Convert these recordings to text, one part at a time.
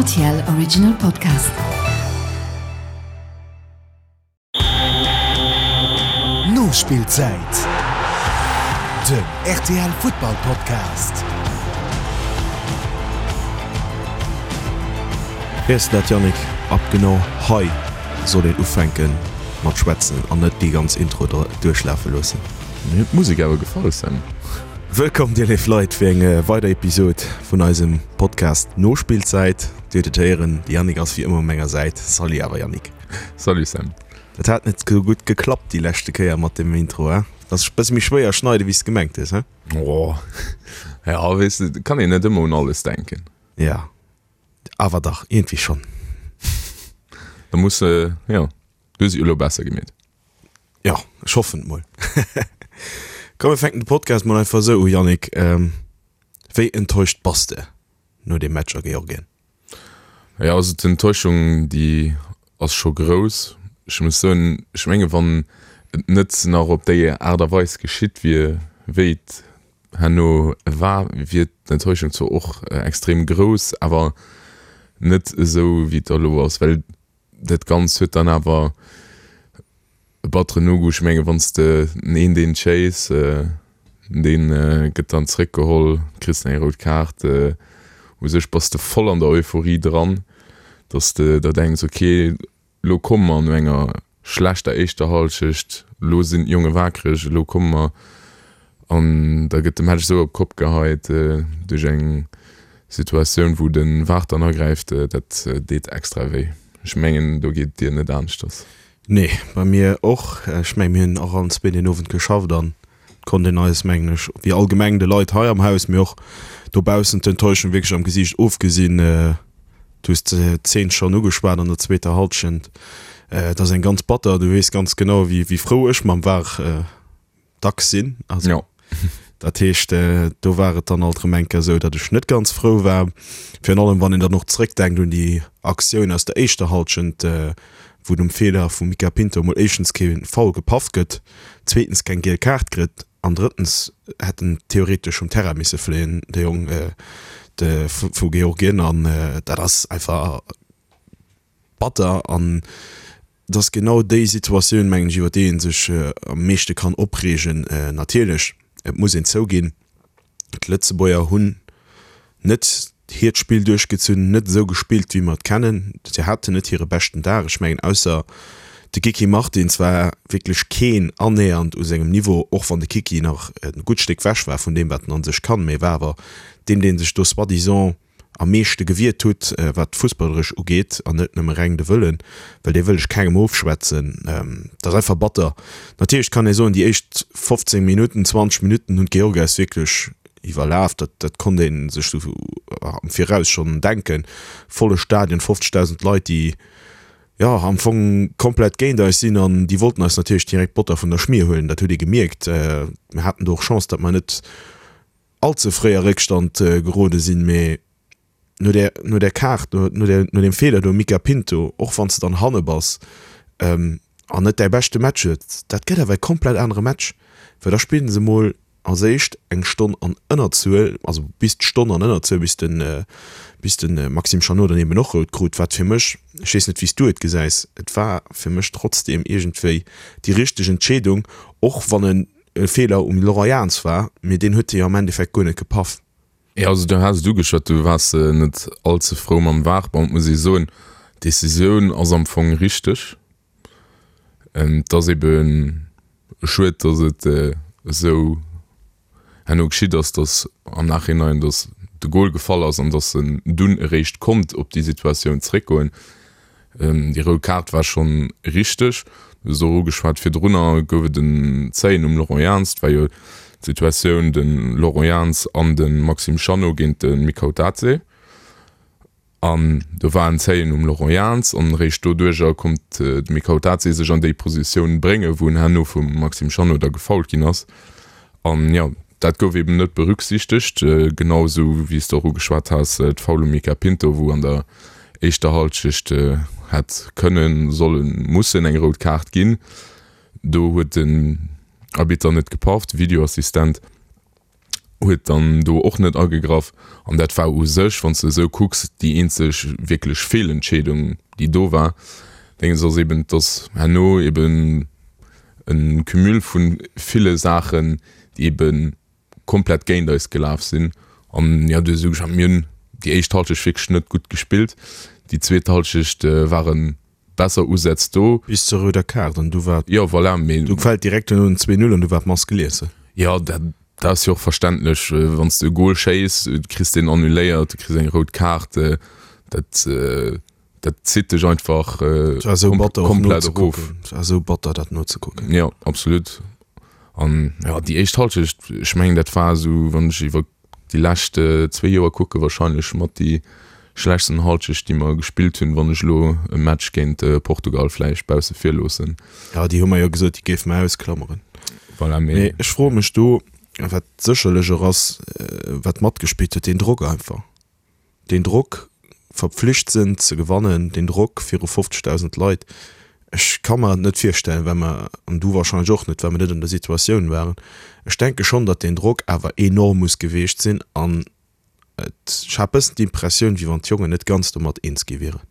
RTL Original Podcast. Nospillzäit, den rtl Futtball Podcast. Weess de dat Yannick, ab genau hei soll een ufänken mat schwätzen an net déi ganz Intro duerchlafe loossen. Mir huet d'Musek awer gefall Sam. Wëllkomm dir léif Leit fir eng weider Episod vun eisem Podcast Nospillzäit. Dir huet et héieren, de Yannick ass wéi ëmmer u menger Säit. Salut awer Yannick. Salut Sam. Dat hat net sou gutt geklappt déi leschte Kéier mat dem Intro, he? Dat ass bësse méi schwéier schneide wéi s de gemengt hues, he? Oh ja, weess de, kann een net ëmmer un alles denken. Ja, awer dach, iergendwéi schonn. Da muss de, jo, du hues et jo elo besser gemeet. Jo, ech hoffen et mol. Komm mir fänken de Podcast mol einfach esou u, Yannick. Wéi enttäuscht bass de no deem Match a Georgien? Jo, also d'Enttäuschung déi ass scho grouss. Ech muss soen, ech menge wann et net nach op déi Aart a Weis geschitt wier, wéi et herno war, wier d'Enttäuschung zwar och extrem grouss, awer net esou wéi et da elo ass, well Dat Ganzt huet dann awer e batteren Nogoût. Ech menge wann s de den een deen chase, dee gëtt dann zeréckgeholl, kriss eng rout Kaart. U sech bass de voll an der Euphorie dran, datt s de der denks, ok elo komme mer no enger schlechter éischter Hallschecht, elo sinn d'Jonge wakereg, elo komme mer. An da gëtt de Match esou op d'Kopp geheit duerch eng Situatioun, wou de VAR dann agräift. Dat deet extra wéi. Ech mengen, do geet et dir net aneschters. Nee, bei mir och. Ech mengen, mir hunn och allen zwee deen Owend geschafft an et konnt een eis, mengen ech, wéi allgemeng de Leit hei am Haus, mee och dobaussen d'Enttäuschung wierklech am Gesiicht ofgesinn. Du hues d'Zeen schonn ugeschwat an der zweeter Hallschent. Et ass eng ganz batter. Du weess ganz genau, wéi frou ech mam VAR dacks sinn. Also, ja. Dat heescht, äh, do war et dann alt erëm eng Kéier esou, datt ech net ganz frou war. Virun allem, wann een dann och zréckdenkt un déi Aktioun aus der éischter Hallschent, äh, wou nom Feeler vum Mica Pinto mol éischtens kee Foul gepaff gëtt, zweetens keng giel Kaart kritt an drëttens hätt en theoretesch vum Terrain misse fléien, de Jong äh, de vu Georgien. An äh, dat ass einfach batter an Et ass genau déi Situatioun, mengen ech, iwwer déi ee sech am meeschte kann opreegen. Natierlech, et muss een zouginn, d'Lëtzebuerger hunn net hiert Spill duerchgezunn, net esou gespillt, wéi mer et kennen. Si haten net hire beschten Dag. Ech mengen, ausser de Kiki Martins war wierklech keen annähernd u sengem Niveau, och wann de Kiki nach e gutt Stéck wech war vun deem, wat en a sech kann, mee war awer deen, dee sech do soi-disant am meeschte gewiert hutt, wat d'Fussballeresch ugeet, an net nëmme reng de Wëllen, well dee wëll ech kengem ofschwätzen. Dat ass einfach batter. Natierlech kann ee soen, déi éischt 15 Minutten, 20 Minutten hunn d'Georgier eis wierklech iwwerlaf. Dat, dat konnt ee sech sou am Viraus schonn denken. Volle Stadion, 50.000 Leit, déi, jo, am Fong komplett géint eis sinn an déi wollten eis natierlech direkt d'Botter vun der Schmier huelen. Dat huet ee gemierkt. Mir haten do och Chance, datt mer net all ze fréi a Réckstand gerode sinn, mee no där, no där Kaart, no, no där, no deem Feeler do, Mica Pinto, och wann s de dann hanne bass an net däi beschte Match huet, dat gëtt awer e komplett anere Match, well da spillen se mol als éischt eng Stonn an Ënnerzuel, also bis d'Stonn an Ënnerzuel, bis de, bis de Maxime Chanot dann eben och rout krut, wat fir mech, ech weess net wéi s du et gesäis, et war fir mech trotzdeem iergendwéi déi richteg Entscheedung, och wann en e Feeler um Laurent Jans war, mee deen huet e jo am Endeffekt guer net gepaff. Jo, also du has et ugeschwat, du waars net all ze frou mam VAR. Bon, et muss ee soen, d'Decisioun ass am Fong richteg. Et ass ebe schued, datt et esou herno geschitt ass, datt am Nachhinein, datt de Gol gefall ass an datt en dunn eréischt konnt op déi Situatioun zréckgoen. Déi rout Kaart war schonn richteg. Du hues et och ugeschwat, virdrunner gouf et en Zéien um Laurent Jans. Et war jo d'Situatioun de Laurent Jans an de Maxime Chanot géint de Mikautadze. An do war en Zéien um Laurent Jans an eréischt doduercher konnt de Mikautadze sech an déi Positioun bréngen, wou en herno vum Maxime Chanot da gefoult ginn ass. An jo, dat gouf eben net berücksichtegt, genau esou wéi s de och ugeschwat has, d'Foul um Mica Pinto, wou an der éischter Halschecht hätt kënnen, sollen, mussen eng rout Kaart ginn. Do huet den Arbitter net gepaff, de Videoassistent. Huet dann do och net agegraff. An dat war u sech, wann s de esou kucks, déi eenzeg wierklech Feelentscheedung, déi do war. Déngens ass eben, dass herno eben e Cumul vu ville Saachen, déi ebe komplett géint eis gelaf sinn. An jo, du hues ugeschwat, mir hunn déi éischt Halschecht wierklech net gutt gespillt. Déi zweet Halschecht ware besser Usätz do. Bis zur rouder Kaart an du war. Jo, voilà, mee. Du fält direkt duerno den 2, 0 an du war d'Mass gelies. Jo, dat ass jo och verständlech, wann s de e Gol schéiss, du kriss deen annuléiert, du kriss eng rout Kaart, dat, dat zitt dech einfach Et war esou batter och komplett erof. nozekucken. Et war esou batter dat nozekucken. Jo, absolut. An jo, déi éischt Halschecht, ech mengen dat war esou, wann ech iwwer déi lescht zwee Joer kucke wahrscheinlech mat déi schlechtsten Halschecht déi mer gespillt hunn, wann ech elo e Match géint Portugal vläicht bausse vir loossen. Jo, déi hu mer jo gesot, déi géife mer ausklammeren. Voilà, mee. Mee ech froe mech do, wat sécherlech och ass, wat matgespillt huet, deen Drock einfach. Deen Drock, verpflicht sinn ze gewannen, deen Drock viru 50.000 Leit, ech ka mer et net virstellen, well mer, an du wahrscheinlech och net, well mer net an der Situatioun waren, ech denke schonn, datt deen Drock awer enorm muss geweecht sinn an et, ech hat bëssen d'Impressioun, wéi wann d'Jongen net ganz domat eens gi wieren.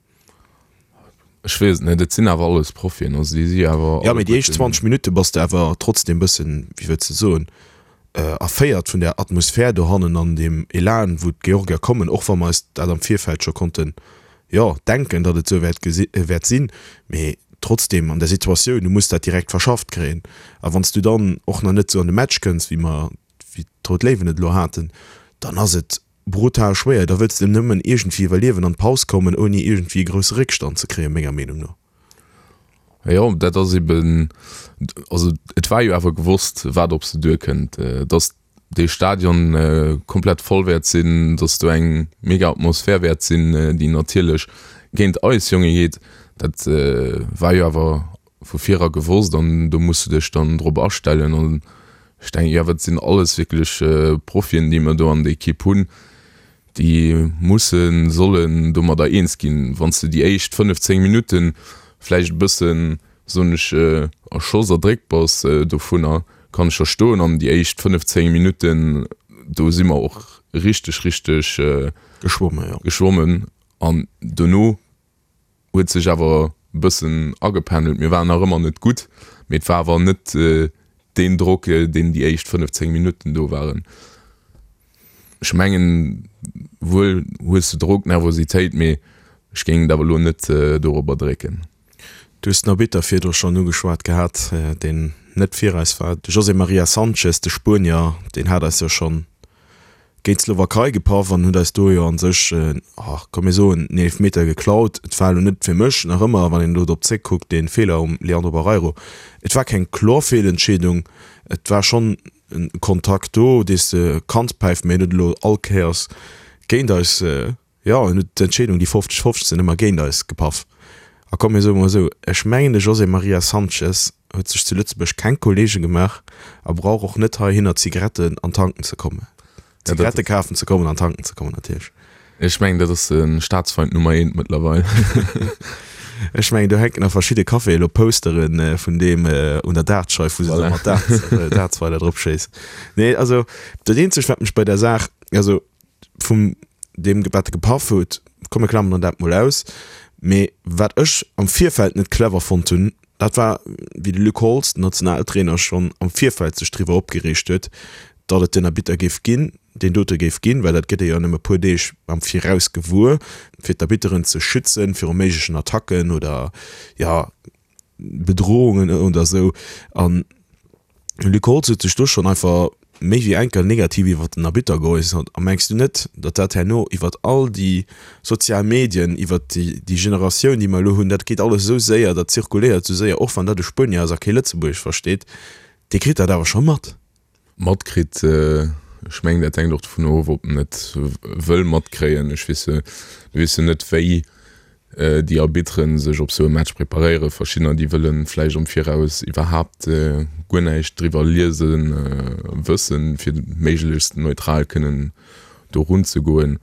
Ech weess et net, et sinn awer alles Profien, also déi si awer Jo, mee déi éischt 20 Minutte bass de awer trotzdem bëssen, wéi wëlls de soen, erféiert vun där Atmosphär dohannen an deem Elan, wou d'Georgier kommen, och wa mer eis dat am Virfeld scho konnten, jo, denken, datt et esou wäert gesi wäert sinn. Mee trotzdem an der Situatioun, du muss dat direkt verschafft kréien. A wann s du dann och nach net esou an de Match kënns, wéi mer, wéi d'Rout Léiwen et elo haten, dann ass et Brutal schwéier, da wëlls de nëmmen iergendwéi iwwerliewen an d'Paus kommen, ouni iergendwéi e grousse Réckstand ze kréien, menger Meenung no. Jo, dat ass eben, also et war jo awer gewosst, wat op se duerkënnt, dass dee Stadion komplett voll wäert sinn, dass do eng mega Atmosphär wäert sinn, déi natierlech géint eis Jonge geet. Dat war jo awer vu vir era gewosst an do muss de dech dann drop astellen. An ech denken, jo, dat sinn alles wierklech Profien, déi mer do an der Ekipp hunn, déi mussen, sollen domadder eens ginn. Wann s de déi éischt 15 Minutte vläicht e bëssen, soen ech, erschoss, erdréckt bass dovunner, kann ech verstoen. An déi éischt 15 Minutten, do si mer och richteg, richteg geschwommen. An dono huet sech awer e bëssen agependelt. Mir waren nach ëmmer net gutt, mee et war awer net deen Drock, deen déi éischt 15 Minutten do waren. Ech mengen, wuel hues de Drock, Nervositéit, mee ech géing et awer elo net dorobber drécken. Du hues den Arbitter virdru schonn ugeschwat gehat, deen net fir eis war. De José Maria Sanchez, de Spuenier, deen hat eis jo schonn géint d'Slowakei gepaff an huet eis do jo an sech, oh, komm mir soen, en Eelefmeter geklaut. Et war elo net fir mech nach ëmmer, wann een elo drop zréckkuckt, dee Feeler um Leandro Barreiro, et war keng kloer Feelentscheedung, et war schonn e Kontakt do, dee s de kanns päifen, mee en huet elo all Kéiers géint eis, Jo, en huet d'Entscheedung, déi 50, 15 ëmmer géint eis gepaff. A komm, mir soe mol esou, ech mengen, de José Maria Sanchez huet sech zu Lëtzebuerg keng Kollege gemaach a brauch och net heihinner Zigaretten an tanken ze kommen. Zigarette kafen ze kommen an tanken ze kommen natierlech. Ech mengen, dat ass de Staatsfeind Nummer eent mëttlerweil. Ech mengen, do hänken a verschidde Caféë elo Postere vun deem un der Dartscheif, wou se da mat Darts, Dartsweiler drop schéissen. Nee, also dat eenzegt, wat mech bei der Saach, also vum deem wat e gepaff huet, komm mir klammern dat mol aus, mee wat ech am Virfeld net clever fonnt hunn, dat war wéi de Luc Holtz, den Nationaltrainer, schonn am Virfeld sech driwwer opgereegt huet, datt et den Arbitter géif ginn, deen dote géif ginn, well dat gëtt ee jo nëmme e puer Deeg am Viraus gewuer, fir d'Arbitteren ze schützen viru méiglechen Attacken oder, jo, Bedrohungen oder esou. An de Luc Holtz huet sech do schonn einfach méi wéi eng Kéier negativ iwwer den Arbitter geäussert. A mengs du net, datt dat herno iwwer all déi sozial Medien, iwwer déi Generatioun, déi mer elo hunn, dat geet alles esou séier, dat zirkuléiert esou séier, och wann dat e Spuenier ass a kee Lëtzebuergesch versteet, dee kritt dat awer scho mat. Matkritt. Ech mengen, dat hänkt och dovun of, ob en et wëll matkréien. Ech weess, du weess jo net, wéi déi Arbitteren sech op esou e Match preparéieren. Verschiddener, déi wëlle vläicht am Viraus iwwerhaapt guer näischt driwwer liesen, wëssen, fir méiglechst neutral kënnen do runzegoen.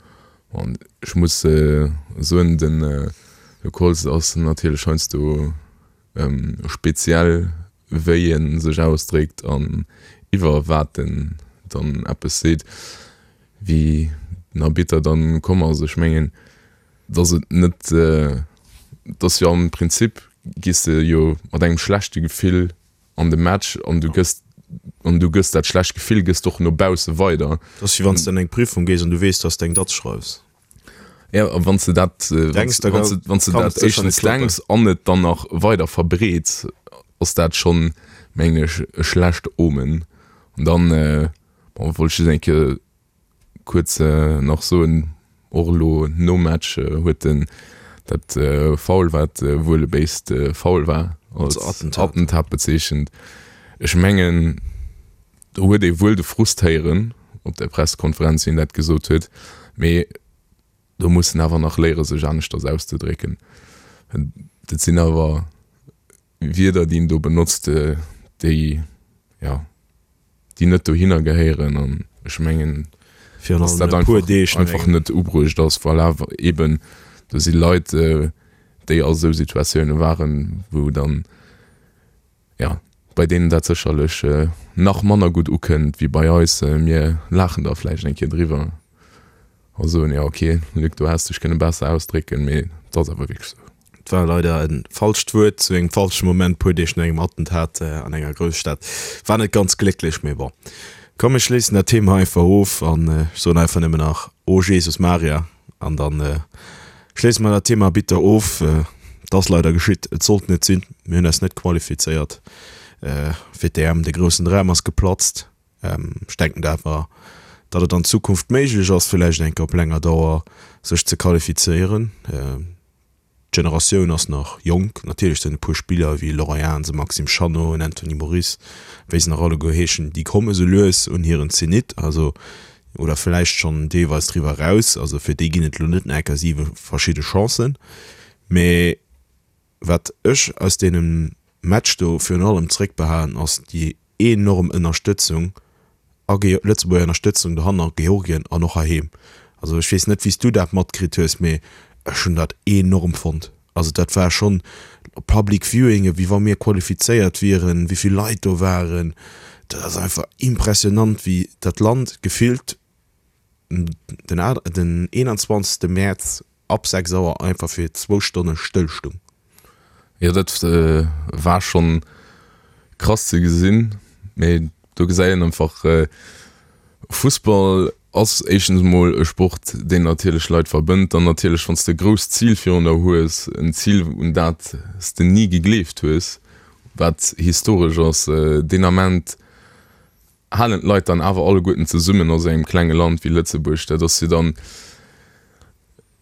An ech muss soen, de Luc Holtz ass natierlech heiansdo speziell wéi en sech ausdréckt an iwwer wat en dann eppes seet, wéi den Arbitter dann komm ass. Ech mengen, dass et net, dass jo am Prinzip gees de jo mat engem schlechte Gefill an de Match an du gëss an du gëss dat schlecht Gefill gëss de och no bausse weider. Dat ass wéi wann s de an eng Prüfung gees an du weess, dass de eng Datz schreifs. Ja, a wann s de dat, Denks, da wann s de, wann s de kann dat et sécher net éischtens klappen. denks an et dann nach weider verbreets, ass dat schonn, mengen ech, e schlecht Omen. An dann, bon, wollt ech just eng Kéier kuerz nach soen, och elo nom Match huet en dat Foul, wat wuel e béist Foul war, als Attentat bezeechent. Ech mengen, do huet ee wuel de Frust héieren op der Pressekonferenz, wéi en dat gesot huet, mee do muss en awer nach léiere sech aneschters auszedrécken. Dat sinn awer Wierder, déi en do benotzt, déi, jo, déi net dohinner gehéieren an ech mengen, Virun dass allem dat e puer einfach, Deeg no einfach engem. net ubruecht ass. Voilà, eben, do si Leit, déi a sou Situatioune waren, wou dann, jo, bei deenen dat sécherlech nach manner gutt ukënnt wéi bei eis. Mir laachen da vläicht eng Kéier driwwer. A soen, jo ok, Luc, do häss dech kënne besser ausdrécken, mee et ass awer wierklech sou. Et war leider e falscht Wuert zu engem falsche Moment, puer Deeg no engem Attentat an enger Grousstad. War net ganz glécklech, mee bon. Komm mir schléissen dat Thema einfach of an ech soen einfach nëmmen nach, O Jesus Maria an dann schléisse mer dat Thema bitter of. Et ass leider geschitt, et sollt net sinn, mir hunn eis net qualifizéiert fir d'EM, de groussen Dram ass geplatzt. Ech denken awer, datt et an Zukunft méiglech ass, villäicht eng Kéier op länger Dauer sech ze qualifizéieren. D'Generatioun ass nach jonk. Natierlech sinn e puer Spiller wéi Laurent Jans, e Maxime Chanot, en Anthony Moris, wéi se nach alleguer heeschen, déi komme sou lues un hiren Zenit, also oder villäicht schonn deelweis driwwer eraus. Also fir déi ginn et elo net nach eng Kéier siwe verschidde Chancen. Mee Wat ech aus deemem Match do virun allem zréckbehalen ass déi enorm Ënnerstëtzung a Lëtzebuerger Ënnerstëtzung dohannen a Georgien an och heiheem. Also ech weess net wéi s du dat matkritt hues, mee ech hunn dat enorm fonnt. Also dat war schonn Public Viewinge wéi wa mir qualifizéiert wieren, wéi vill Leit do waren. Dat ass einfach impressionant wéi dat Land gefillt den 21 Mäerz ab 6 Auer einfach fir zwou Stonne stëll stung. Jo dat war schonn krass ze gesinn, mee do gesäit een einfach Fussball ass éischtens emol e Sport deen natierlech Leit verbënnt, dann natierlech wann s de e grousst Zil virun der hues, en Zil un dat s de ni gegleeft hues, wat historesch ass, deen Ament halen d'Leit dann awer alleguerten zesummen a sou engem klenge Land wéi Lëtzebuerg. Dat ass jo dann,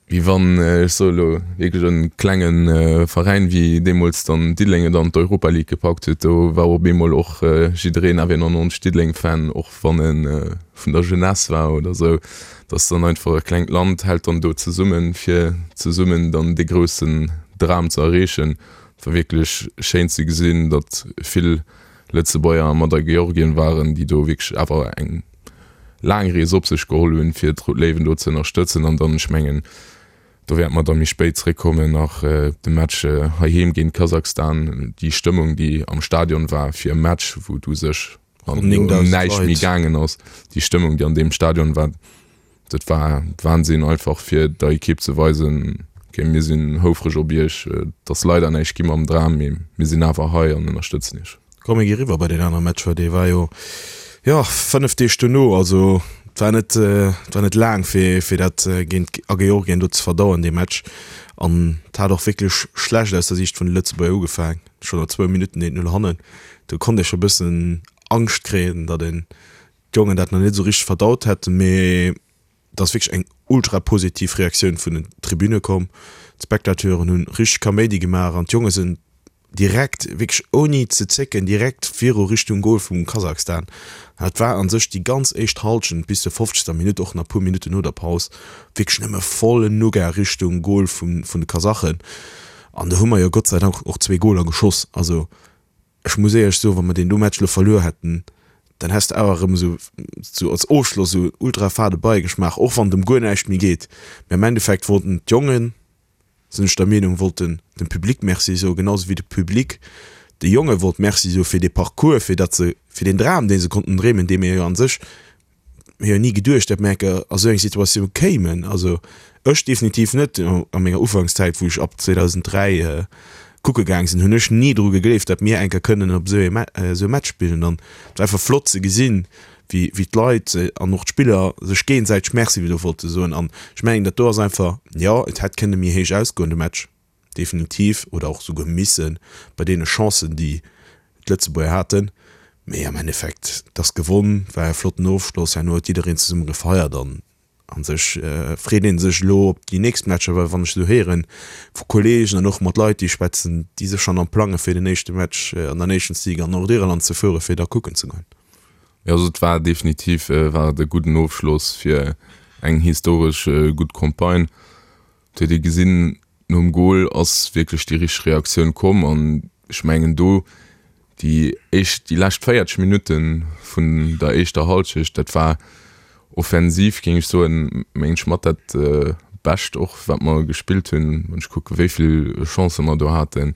wéi wann, ech soe elo wierklech e klenge Veräin wéi deemools dann Diddeleng et an d'Europa League gepackt huet, do war op eemol och jiddereen awer een 90 Diddeleng-Fan, och wann e vun der Jeunesse war oder sou. Dat ass dann einfach e klengt Land hält dann do zesummen, fir zesummen dann dee groussen Dram ze erreechen. Et war wierklech schéin ze gesinn, datt vill Lëtzebuerger mat a Georgien waren, déi do wierklech awer eng laang Rees op sech geholl hunn, fir d'Rout Léiwen do ze ënnerstëtzen. An dann, ech mengen, do wäerte mer da méi spéit zréckkommen, nach de Match heiheem géint Kasachstan, déi Stëmmung, déi am Stadion war fir e Match, wou et u sech ëm näischt méi gaangen ass, déi Stëmmung, déi an deem Stadion war, Dat war Wahnsinn, einfach fir der Ekipp ze weisen, ok mir sinn houfreg op iech, et ass leider näischt gi mam Dram, mee mir sinn awer hei an ënnerstëtzen iech. Komm mir gi riwwer bei deen anere Match, well dee war jo, jo 5 Deeg dono, also et war net, et war net laang fir fir dat géint a Georgien do ze verdauen dee Match. An et hat och wierklech schlecht aus der Siicht vun de Lëtzebuerger ugefaang, schonn no zwou Minutten 1, 0 hannen, do konnt ee scho bëssen Angscht kréien, datt een d'Jongen dat nach net esou richteg verdaut hätten, mee et ass wierklech eng ultra positiv Reaktioun vun den Tribüne komm. D'Spectateuren hunn richteg Kaméidi gemaach an d'Jonge sinn direkt, wierklech ouni ze zécken, direkt viru Richtung Gol vum Kasachstan. Dat war an sech déi ganz éischt Hallschent bis zur 50. Minutt, och nach puer Minutten no der Paus, wierklech nëmme vollen Nougat Richtung Gol vun de Kasachen. An do hu mer jo Gott sei Dank och zwee Goler geschoss. Also Ech muss éierlech soen, wa mer deen do Match elo verluer hätten, dann häss de awer erëm esou, esou als Ofschloss esou ultra fade Beigeschmaach, och wann et ëm guer näischt méi geet. Mee am Endeffekt wollten d'Jongen, sinn ech der Meenung, wollten dem Public Merci soen, genau esou wéi de Public de Jonge wollt Merci soe fir dee Parcours, fir datt se, fir deen Dram, dee se konnten dreemen, dee mir jo an sech. Mir hu ni geduecht, datt mir eng Kéier a sou eng Situatioun kéimen. Also ech definitiv net. A menger Ufankszäit, wou ech ab 2003 kucke gaang sinn, hunn ech ni dru gegleeft, datt mir eng Kéier kënnen op esou e Match spillen. An et war einfach flott ze gesinn, wéi wéi d'Leit an och d'Spiller sech géinsäiteg Merci do wollte soen. An ech mengen, dat do ass einfach, jo, et hätt kënne méi héich ausgoen, de Match. definitiv, oder och souguer missen, bei deene Chancen, déi d'Lëtzebuerger haten. Mee am Endeffekt, et ass gewonn, war e flotten Ofschloss, herno huet jiddereen zesumme gefeiert an a sech freet ee sech elo op déi nächst Matcher, well wann ech esou héieren vu Kolleegen an och mat Leit, déi ech schwätzen, déi sech schonn am plange fir den éischte Match an der Nations League an Nordirland ze fuere fir da kucken ze goen. Jo, also et war definitiv war et e gudden Ofschloss fir eng historesch gutt Campagne. Et huet ee gesinn, nom Gol ass wierklech déi richteg Reaktioun komm an ech mengen do déi éischt, déi lescht 40 Minutte vun der éischter Hallschecht, dat war offensiv, géing ech soen, mengen ech mat dat Bescht och wat mer gespillt hunn, wann ech kucke wéi vill Chancë mer do haten.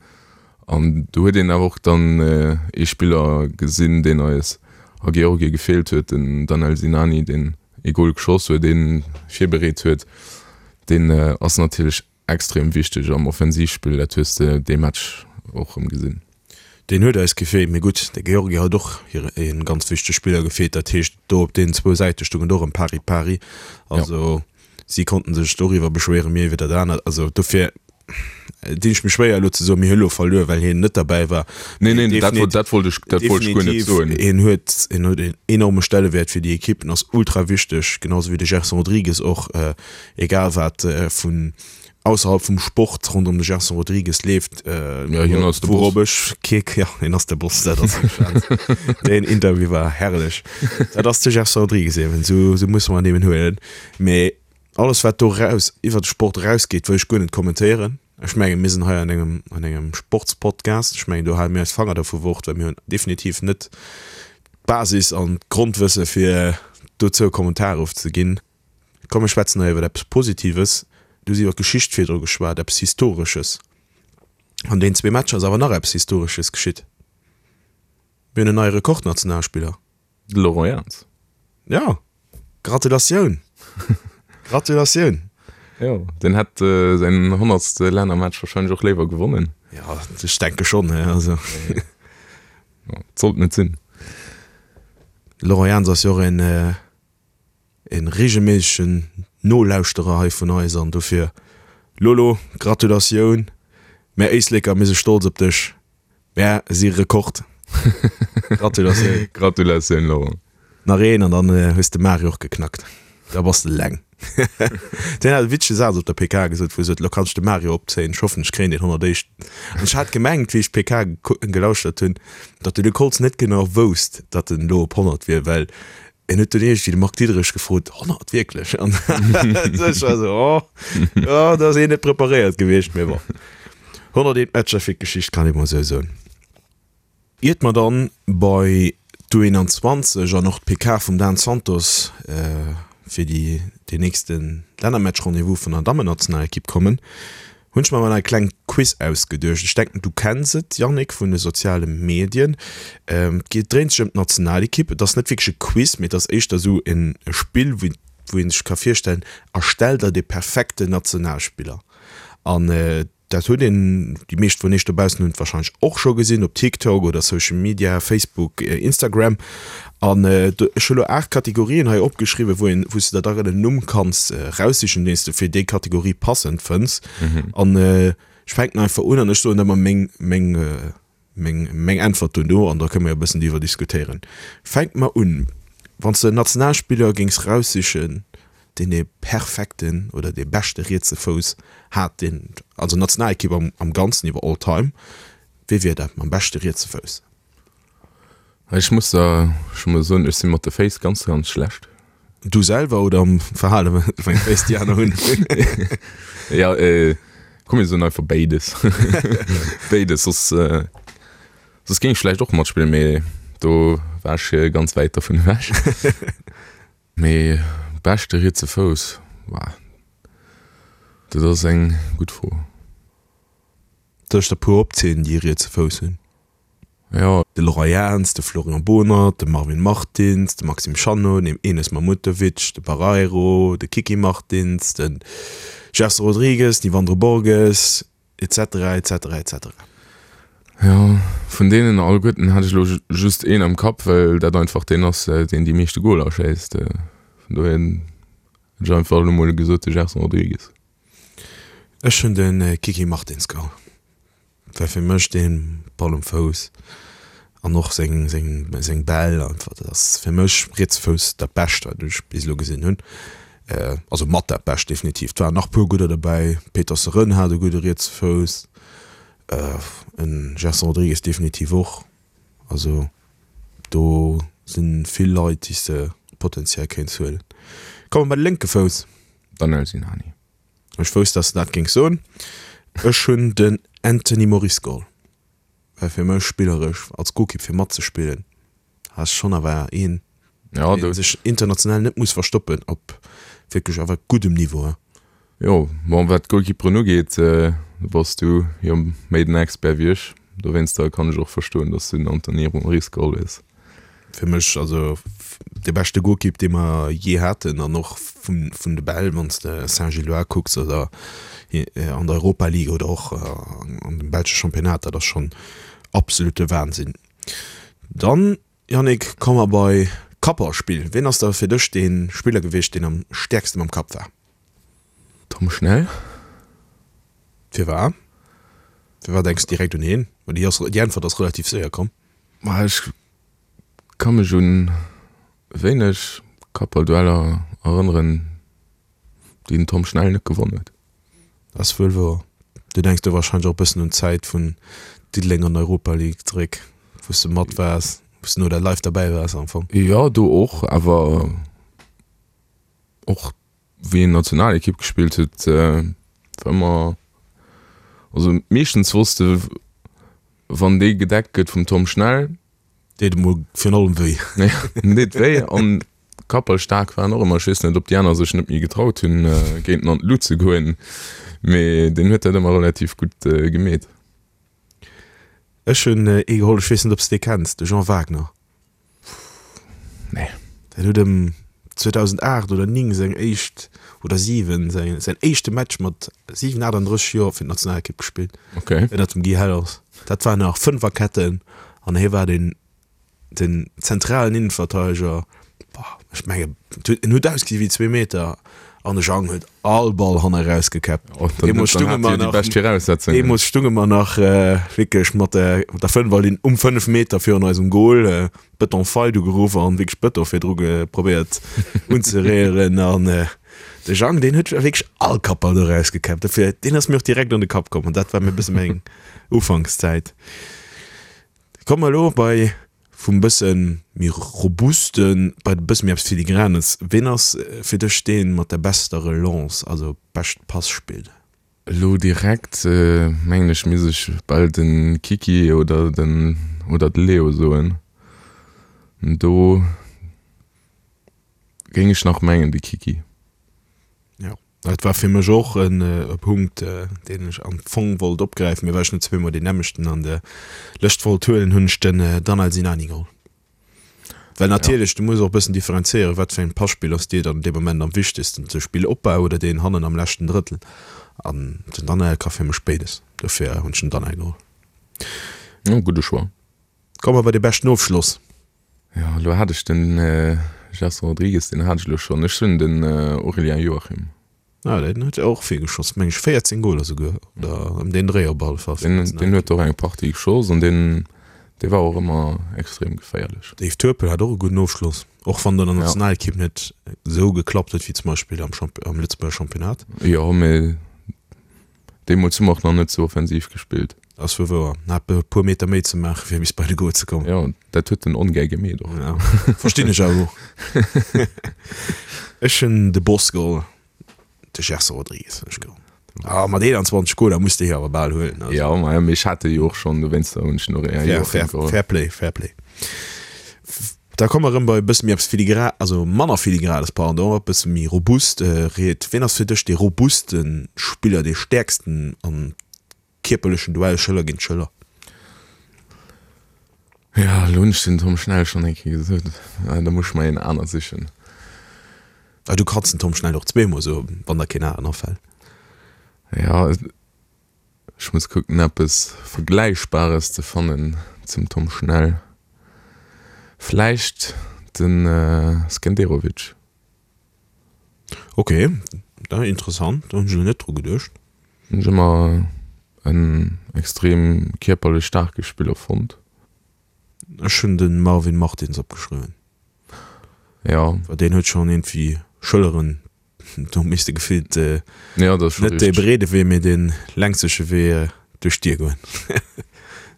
An do huet een awer och dann ee Spiller gesinn, deen eis a Georgie gefeelt huet, den Danel Sinani, deen ee Gol geschoss huet, ee virbereet huet. Deen ass natierlech extrem wichteg am Offensivspill, dat hues de dee Match och erëm gesinn. Deen huet eis gefeelt, mee gutt, de Georgie hat och ee ganz wichtege Spiller gefeelt. Dat heescht, do op deenen zwou Säite stoung et och ëm pari pari. Also si konnten sech doriwwer beschwéieren, mir iwwer dat anert. Also dofir dinn ech mech schwéier elo ze soen, mir hu elo verluer, well hien net derbäi war. Nee, nee, dat wollt, dat wollt ech, dat wollt ech guer net soen. Hien huet, hien huet een enorme Stellewäert fir déi Equipe, en ass ultra wichteg, genau sou wéi de Gerson Rodrigues och, egal wat vun ausserhalb vum Sport ronderëm de Gerson Rodrigues leeft, Ja, hien ass de Boss. wourop ech kee, ja, hien ass de Boss, dat ass wierklech, deen Interview war herrlech. Dat ass de Gerson Rodrigues eben, sou, sou musse mer en eben huelen. Mee Alles wat do raus iwwer de Sport erausgeet wëll ech guer net kommentéieren. Ech mengen mir sinn hei an engem an engem Sportspodcast. Ech mengen do hale mir eis Fanger dervu fort, well mir hunn definitiv net d'Basis an d'Grondwësse fir dozou e Kommentar ofzeginn. Komm mir schwätzen hei iwwer eppes Positives. Du hues iwwer d'Geschicht virdru geschwat, eppes Historesches. An deenen zwee Matcher ass awer nach eppes Historesches geschitt. Mir hunn en neie Rekordnationalspiller. De Laurent Jans. Ja, Gratulatioun! Gratulatioun! Jo, deen hätt säin honnertste Lännermatch wahrscheinlech och léiwer gewonnen. Ja, ech denke schonn, he, also. Ja, et sollt net sinn. Laurent Jans ass jo och een, een regelméissegen Nolauschterer hei vun eis an dofir, Lolo, Gratulatioun! Mär Éisleker, mir si stolz op dech. Mär si Rekord. Gratulatioun. Gratulatioun Laurent. Nach een an dann hues de Mario och geknackt. Da bass de eleng. Deen hat e witzege Saz op der PK gesot, wou e sot, Lo kann ech de Mario opzéien, ech hoffen ech kréien deen 101. An ech hat gemengt, wéi ech d'PK gelauschtert hunn, datt de Luc Holtz net genau wousst, datt en elo op 100 wier, well en huet dunn iergendwéi de Marc Diederich gefrot, 100, wierklech? An ech war esou, oh, oh, do ass een net preparéiert gewiescht, mee bon. 101 Matcher fir d'Geschicht, kann ee mol esou soen. Iert mer dann bei d'U21 an och d'PK vum Dan Santos fir déi deen nächste Lännermatch-Rendez-vous vun der Dammennationalekipp kommen, hunn ech mer mol e kleng Quiz ausgeduecht. Ech denken du kenns et, Yannick, vun de soziale Medien. Et geet dréint sech ëm d'Nationalekipp. Et ass net wierklech e Quiz, mee et ass éischter esou en Spill, wou wou ee sech ka virstellen, erstell der de perfekten Nationalspiller. An dat huet een, déi meescht vun iech dobaussen hunn et warscheinlech och scho gesinn op TikTok oder Social Media, Facebook, Instagram. An ech hu lo 8 Kategorien hei opgeschriwwen, wou een, wou s de der dann en Numm kanns raussichen, deen s de fir déi Kategorie passend fënns. An ech fänken einfach un an ech soen ëmmer meng, meng, Meng, meng Äntwert duerno, an da kënne mer jo e bëssen driwwer diskutéieren. Fänke mer un, Wann s de en Nationalspiller géings raussichen, deen dee perfekten oder dee beschte rietse Fouss hat, deen, also Nationalekipp am, am Ganzen iwwer all time, wee wier dat mam beschte rietse Fouss? Ech muss der scho mol soen, ech si mat de Féiss ganz, ganz schlecht. Du selwer oder am Verhale wéi eng Féiss déi aner hunn? Ja, komm mir soen einfach béides. Béides, soss, soss géing ech vläicht och matspillen, mee do war ech ganz wäit dervun ewech. Mee beschte rietse Fouss, wah, dat ass eng gutt Fro. Soll ech der puer opzielen, déi e rietse Fouss hunn? Jo. De Laurent Jans, de Florian Bohnert, de Marvin Martins, de Maxime Chanot, den Enes Mahmutovic, de Barreiro, de Kiki Martins, de Gerson Rodrigues, den Yvandro Borges, etc. Etc. Etc. Jo, vun deenen alleguerten hat ech elo just een am Kapp, well dat einfach deen ass, deen déi meeschte Goler schéisst. Vun dohier hätt ech einfach elo mol gesot, de Gerson Rodrigues. Ech hunn de Kiki Martins geholl. Well fir mech deen Ball um Fouss an och seng seng seng Bäll einfach, dat ass fir mech rietse Fouss dat Bescht wat ech bis elo gesinn hunn. Also mat dat Bescht definitiv. Et waren nach puer gudder dobäi, Peter Seren hat e gudde rietse Fouss, en Gerson Rodrigues definitiv och. Also do sinn vill Leit déi s de potenziell kéints huelen. Komme mer bei de lénke Fouss. Danel Sinani. Ech wousst, dass de dat géings soen. Ech hunn den Anthony Moris geholl, well fir mech spilleresch als Golkipp fir matzespillen ass schonn awer een, dee sech international net muss verstoppen op wierklech awer guddem Niveau. Jo, bon, wat d'Golkipperen ugeet, do bass du jo méi den Expert wéi ech. Dowéinster kann ech och verstoen, dass du den Anthony Moris geholl hues. Fir mech also de beschte Golkipp dee mer jee haten an och vun vun de Bäll, wann s de Saint-Gilloise kucks oder an der Europa League oder och an dem belsche Championnat, dat ass schonn absolute Wahnsinn. Dann, Yannick, komme mer bei Kapperspill. Ween ass da fir dech dee Spiller gewiescht, deen am stäerkste mam Kapp war? Tom Schnell. Firwat? Firwat denks de direkt un hien? Well déi ass, déi Äntwert ass relativ séier komm. Ma ech ka mech un wéineg Kappballdueller erënneren, déi den Tom Schnell net gewonn huet. Dat ass wuel wouer. Du denks do wahrscheinlech och e bëssen un d'Zäit vun Diddeleng an der Europa League zeréck, wou s de mat waars, wou s de no der live derbäi waars am Fong. Jo, do och, awer och wéi en Nationalekipp gespillt huet, war ëmmer, also meeschtens wosst de, wann dee gedeckt gëtt vum Tom Schnell, Deet emol virun allem wéi. Ja, deet wéi an kappelstaark war en och ëmmer. Ech weess net, ob déi aner sech net méi getraut hunn, géint en an d'Lut ze goen, mee deen huet dat ëmmer relativ gutt gemeet. Ech hunn ee geholl, ech weess net, ob s de dee kenns, de Jean Wagner. Nee. Deen huet ëm 2008 oder 9 seng éischt, oder 7, säin, säin éischte Match mat 7, 38 Joer fir d'Nationalekipp gespillt. Okay. Ënnert dem Guy Hellers. Dat war nach Fënferketten an hie war den, den zentralen Innenverteideger. Boah, ech menge, en huet ausgesi wéi zwee Meter an de Jang huet all Ball hanne rausgekäppt. Oh, dann, Deemools dann stunge hat mer jo déi nach, bescht Viraussetzungen. deemools stunge mer nach äh, wierklech mat der, mat der Fënferlinn um 5 Meter virun eisem Goal, äh, Beton Fight ugeruff an wierklech Beton virdru ge probéiert unzeréieren an äh, de Jang, deen huet wierklech all Kappball do rausgekäppt. Dofir, deen ass mir och direkt an de Kapp komm an dat war mir e bësse meng Ufankszäit. Komme mer elo bei vum bësse méi robusten bei e bësse méi eppes Filigranes. Ween ass fir dech dee mat der bester Relance, also bescht Passpill? Elo direkt mengen ech misst ech bal de Kiki oder den oder de Leo soen. Do géing ech nach mengen de Kiki. Jo. Dat war fir mech och e Punkt, deen ech am Fong wollt opgräifen, mee well ech net zweemol deen nämmlechten an der Lëscht wollt huelen, hunn ech den Danel Sinani geholl. Well natierlech, du muss och e bëssen differenzéieren, wat fir eng Passpill ass dir dann dee Moment am wichtegsten, de Spillopbau oder deen hannen am leschten Drëttel. An den Danel ka fir mech béides, dofir hunn ech den Danel geholl. Jo, gudde Choix. Komme mer bei de beschten Ofschloss. Jo, elo hat ech den Gerson Rodrigues, deen hat ech elo schonn. Ech hunn den Aurélien Joachim. Ah, deen huet och vill geschoss, meng ech 14 Goler souguer oder ëm deen Dréi op alle Fall. Deen, deen huet och eng Partie geschoss an deen, dee war och ëmmer extrem geféierlech. Dave Turpel hat och e gudden Ofschloss, och wann et an der Nationalekipp net esou geklappt huet wéi zum Beispill am Champ, am Lëtzebuerger Championnat. Jo, mee Deemools hu mer och nach net sou offensiv gespillt. Ass wuel wouer. Hat e puer Meter méi ze maachen, fir bis bei de Goal ze kommen. Jo, dat huet en ongär gemeet och. Ja, verstinn ech awer och. Ech hunn de Boss geholl, de Gerson Rodrigues hunn ech geholl. Ah, mat 21 Goaler muss de hie awer bal huelen. Also. Jo, ma mee ech hat e jo och schonn, dowéinster hunn ech en och Fair, fair, geholl. Fair play, fair play. Da komme mer erëm bei e bësse méi eppes filigra, also manner filigranes, pardon, e bësse méi robust. Ried, wien ass fir dech dee robuste Spiller, dee stäerksten am kierperlechen Duell Schëller géint Schëller? Jo, elo hunn ech den Tom Schnell schonn eng Kéier gesot. Da muss ech mer een aner sichen. Ah, du kanns den Tom Schnell och zweemol soen, wann der keen aneren afält. Jo, ech muss kucken eppes Vergläichbares ze fannen zum Tom Schnell. Vläicht den Skenderovic. Ok, da interessant, do hunn ech elo net dru geduecht. Hunn ech ëmmer en extrem kierperlech staarke Spiller fonnt. Ech hunn de Marvin Martins opgeschriwwen. Jo. Well deen huet schonn iergendwéi Schëlleren, do misst de gefillt Jo, dat ass scho net dee richteg. breede Wee, mee dee längseche Wee duerch d'Dier goen.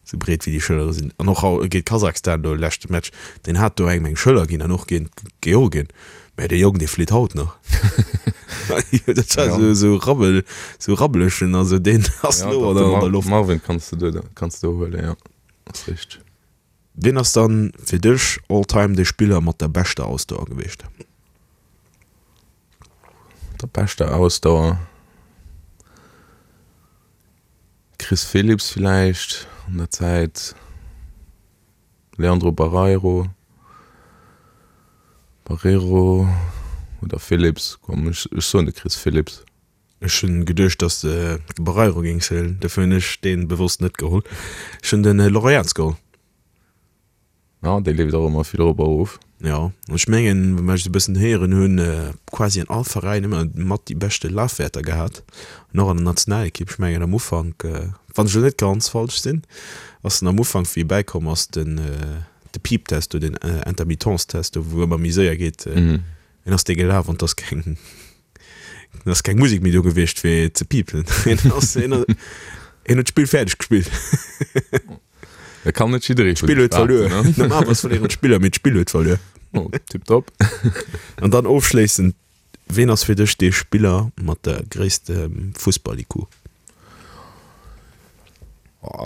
Sou breet wéi déi Schëllere sinn. An och géint Kasachstan do leschte Match, deen hat do engem eng Schëller ginn an och géint Georgien. Mä dee Jong, dee flitt haut nach. Dat war sou, sou rabbel, sou rabbelechen, also deen ass elo an der Loft. Marvin kanns de do, kanns de do huelen, jo, ass richteg. Wien ass dann fir dech all time de Spiller mat der beschter Ausdauer gewiescht? Der beschter Ausdauer? Chris Philipps villäicht an der Zäit, Leandro Barreiro, Barreiro oder Philipps, komm ech soen de Chris Philipps. Ech hunn geduecht dass de de Barreiro géings huelen, dofir hunn ech deen bewosst net geholl. Ech hunn den Laurent Jans geholl. Ja, dee leeft och ëmmer vill erop a erof. Jo, an ech mengen, wat ech esou e bëssen héieren hunn, quasi an all Veräin ëmmer mat déi beschte Lafwäerter gehat an och an der Nationalekipp. Ech mengen am Ufank, wann ech elo net ganz falsch sinn, ass en am Ufank, wéi e bäikomm ass, den de Piiptest do, den Intermittence-Test do, wou ëmmer méi séier geet, en ass dee gelaf an 't ass keng, et ass keng Musek méi do gewiescht fir ze piipen. En ass, en en huet d'Spill fäerdeg gespillt. Et kann net jidderee vun D'Spill huet verluer. Normalerweis verléieren d'Spiller, mee d'Spill huet verluer. Oh, tipptopp. An dann ofschléissend, Ween ass fir dech dee Spiller mat der gréisste Fussball-IQ?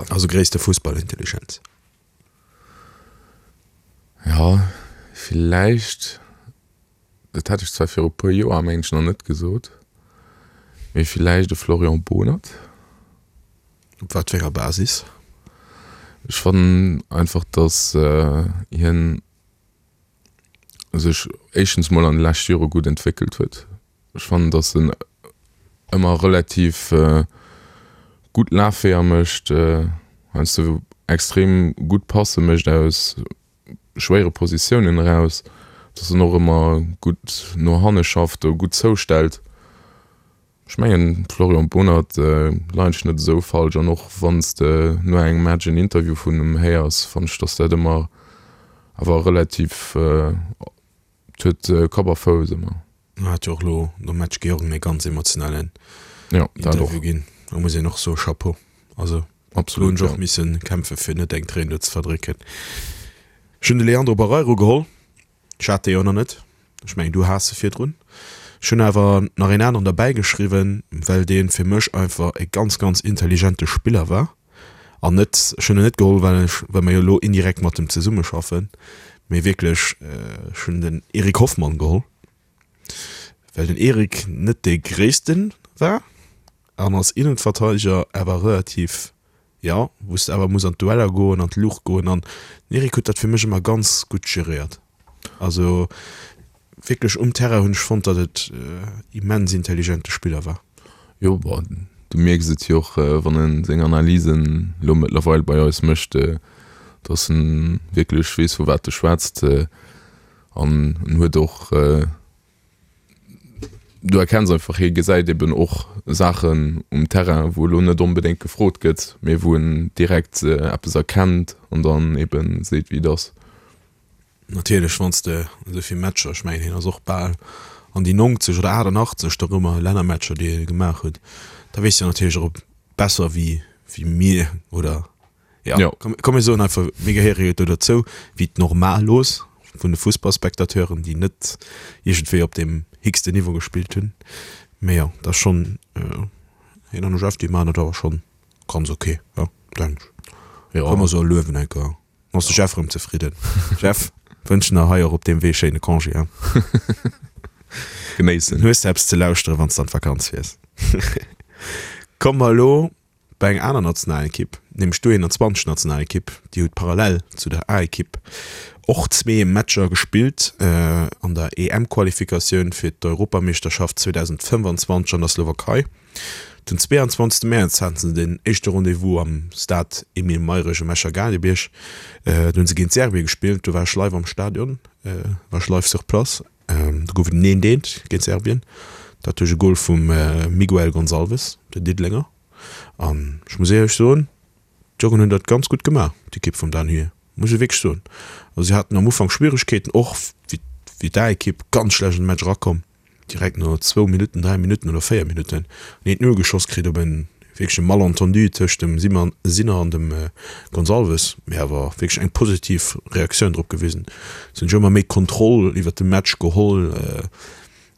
Also gréisste Fussballintelligenz? Jo, villäicht Dat hätt ech zwar viru puer Joer mengen ech nach net gesot, mee villäicht e Florian Bohnert. Op wat fir enger Basis? Ech fannen einfach, datt hien sech éischtens mol an de leschte Jore gutt entwéckelt huet. Ech fannen, datt en ëmmer relativ gutt Lafweeër mécht, heiansdo extrem gutt Passe mécht aus schwéiere Positiounen eraus, dass en och ëmmer gutt no hanne schafft, do gutt zoustellt. Ech mengen, Florian Bohnert leien ech net esou falsch an och wann s de no engem Match en Interview vun em héiers, fannen ech, dass dat ëmmer awer relativ, et huet Kapp a Fouss ëmmer. En hat jo och elo nom Match Georgen e ganz emotionalen Interview ginn. Do muss een och soe Chapeau. Also do hunn ech och misse kämpfe fir net eng Tréin do ze verdrécken. Ech hunn de Leandro Barreiro geholl. Ech hat dee jo nach net. Ech mengen du has e virdrun. Ech hunn awer nach een aneren derbäi geschriwwen, well dee fir mech einfach e ganz, ganz intelligente Spiller war. An net, ech hunn en net geholl, well ech, well mer jo elo indirekt mat em zesummeschaffen, mee wierklech, ech hunn den Eric Hoffmann geholl, well den Eric net dee Gréisste war an als Innenverteidiger awer relativ, jo, wou s de awer muss an d'Dueller goen, an d'Luucht goen an den Eric huet dat fir mech ëmmer ganz gutt geréiert. Also wierklech um Terrain hunn ech fonnt, datt et immens intelligente Spiller war. Jo, bon, du mierks et jo och, wann en seng Analysen elo mëttlerweil bei eis mécht, datt en wierklech weess, vu wat e schwätzt. An en huet och, du erkenns einfach, hie gesäit eben och Saachen um Terrain, wou elo net onbedéngt gefrot gëtt, mee wou en direkt eppes erkennt an dann eben seet, wéi et ass. Natierlech, wann s de esou vill Matcher, ech mengen hien ass och bal an déi 90 oder 88 dorëmmer Lännermatcher, déi e gemaach huet, da weess de natierlech och besser wéi wéi mir oder jo, komm mir soen einfach, mir gehéiere jo do dozou, wéi d'Normalos vun de Fussballspectateuren, déi net iergendwéi op deem héchsten Niveau gespillt hunn. Mee jo, dat ass schonn, hien an de Jeff, déi maachen dat awer schonn ganz ok, jo, denken ech. Komm mer soe luewen enker. Ass de Jeff rëm zefridden. Jeff, wënschen der hei och op deem Wee schéine Congé, hein? Genéissen. Hues de eppes ze lauschteren, wann s de an d'Vakanz fiers. Komme mer elo Bei enger aner Nationalekipp, nämlech d'U21 Nationalekipp, déi huet parallel zu der A-Ekipp och zwee Matcher gespillt an der EM-Qualifikatioun fir d'Europameeschterschaft 2025 an der Slowakei. Den 22 Mäerz haten se den éischte Rendez-vous am Stade Emile Mayrisch um Escher Gaalgebierg. Do hunn se géint Serbien gespillt. Do war ech live am Stadion, war ech live sur place. Do gouf et en eent eent géint Serbien, dat duerch e Gol vum Miguel Gonçalves, den Diddelenger. An ech muss éierlech soen, d'Jongen hunn dat ganz gutt gemaach, d'Ekipp vum Dan Huet, muss ech wierklech soen. Also si haten am Ufank Schwieregkeeten, och wéi d'A-Ekipp, ganz schlecht an de Match erakomm. Direkt no zwou Minutten, 3 Minutten oder 4 Minutten en eent Null geschoss kritt op en wierkleche Malentendu tëscht dem Sinner an dem Gonçalves, mee awer wierklech eng positiv Reaktioun drop gewisen. Se hunn sech ëmmer méi Kontroll iwwert de Match geholl,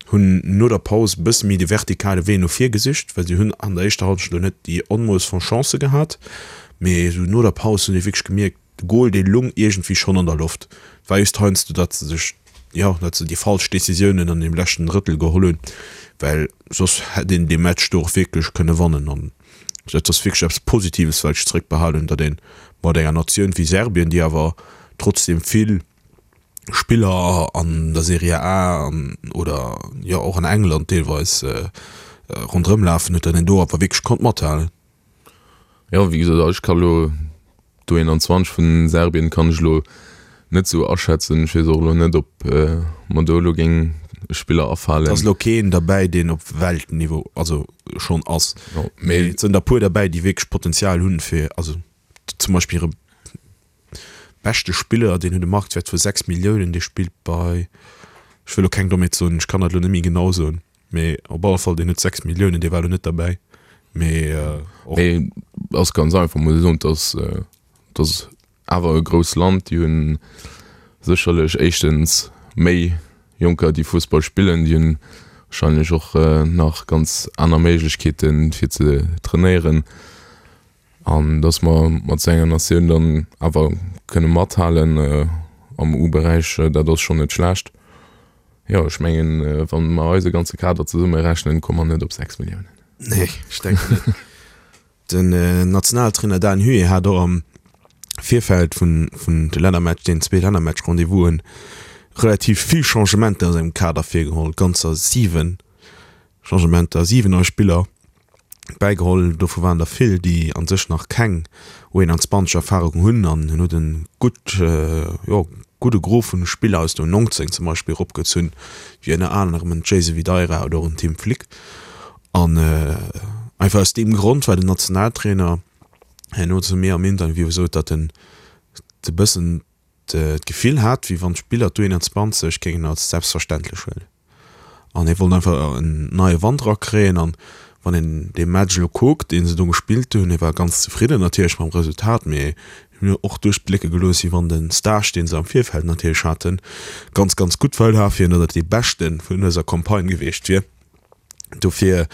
hunn no der Paus e bësse méi de vertikale Wee no vir gesicht, well se hunn an der éischter Hallschent elo net déi Onmooss von Chancë gehat, mee esou no der Paus hunn ee wierklech gemierkt, De Gol, dee lung iergendwéi schonn an der Loft. Et war just heiansdo, datt se sech, jo, datt se déi falsch Decisiounen an deem leschten Drëttel geholl hunn, well soss hätt een dee Match do och wierklech kënne wannen. An dat ass wierklech eppes Positives, wat ech zeréckbehalen hunn, datt ee mat enger Natioun wéi Serbien, déi awer trotzdeem vill Spiller an der Serie A an oder, jo, och an England deelweis ronderëm lafen huet, datt een do awer wierklech konnt mathalen. Jo, wéi gesot, ech ka lo d'U21 vun Serbien kann ech lo net sou aschätzen. Ech weess och elo net, ob mer do elo géing Spiller afalen. Et ass elo keen derbäi, deen op Weltniveau, also schonn ass, mee et sënn der puer derbäi, déi wierklech Potenzial hunn, fir, also zum Beispill hire beschte Spiller, deen huet e Marktwäert vu 6 Milliounen, dee spillt bei, ech wëll elo keng Dommheet soen, ech kann dat elo net méi genau soen. Mee op alle Fall, deen huet 6 Milliounen, dee war elo net derbäi. Mee och. Mee ass ganz einfach, muss ee soen, dass dass awer e grousst Land, déi hunn sécherlech éischtens méi Jonker, déi Fussball spillen, déi hunn wahrscheinlech och nach ganz aner Méiglechkeeten, fir ze trainéieren. An dass mer mat esou enger Natioun dann awer kënne mathalen am U-Beräich, dat ass schonn net schlecht. Jo, ech mengen, wa mer eise ganze Kader zesummerechnen, komme mer net op 6 Milliounen. Nee, ech denken net. Den Nationaltrainer Dan Huet hat och am Virfeld vun de Lännermatch, deenen zwee Lännermatch-Rendez-vousen, relativ vill Changementer a sengem Kader virgeholl, ganzer 7 Changementer, 7 nei Spiller. Bäigeholl. Dovu waren der vill, déi a sech nach keng U21 Erfarung hunn an en huet e gutt, jo, gudde Gros vun Spiller aus der U19 zum Beispill eropgezunn, wéi ënner anerem en Jason Videira oder och en Tim Flick. An einfach aus deem Grond, well den Nationaltrainer herno zu mir am Interview sot, datt en e bëssen d'Gefill hat, wéi wann d'Spiller d'U21 géingen als selbstverständlech huelen. An hie wollt einfach en neie Wand erakréien. An wann een dee Match elo kuckt, dee se do gespillt hunn, hie war ganz zefridden natierlech mam Resultat, mee hien huet och duerchblécke gelooss, wéi wann de Stage, dee se am Virfeld natierlech haten, ganz, ganz gutt war fir hien, datt et dee beschte vun dëser Campagne gewiescht wier. Dofir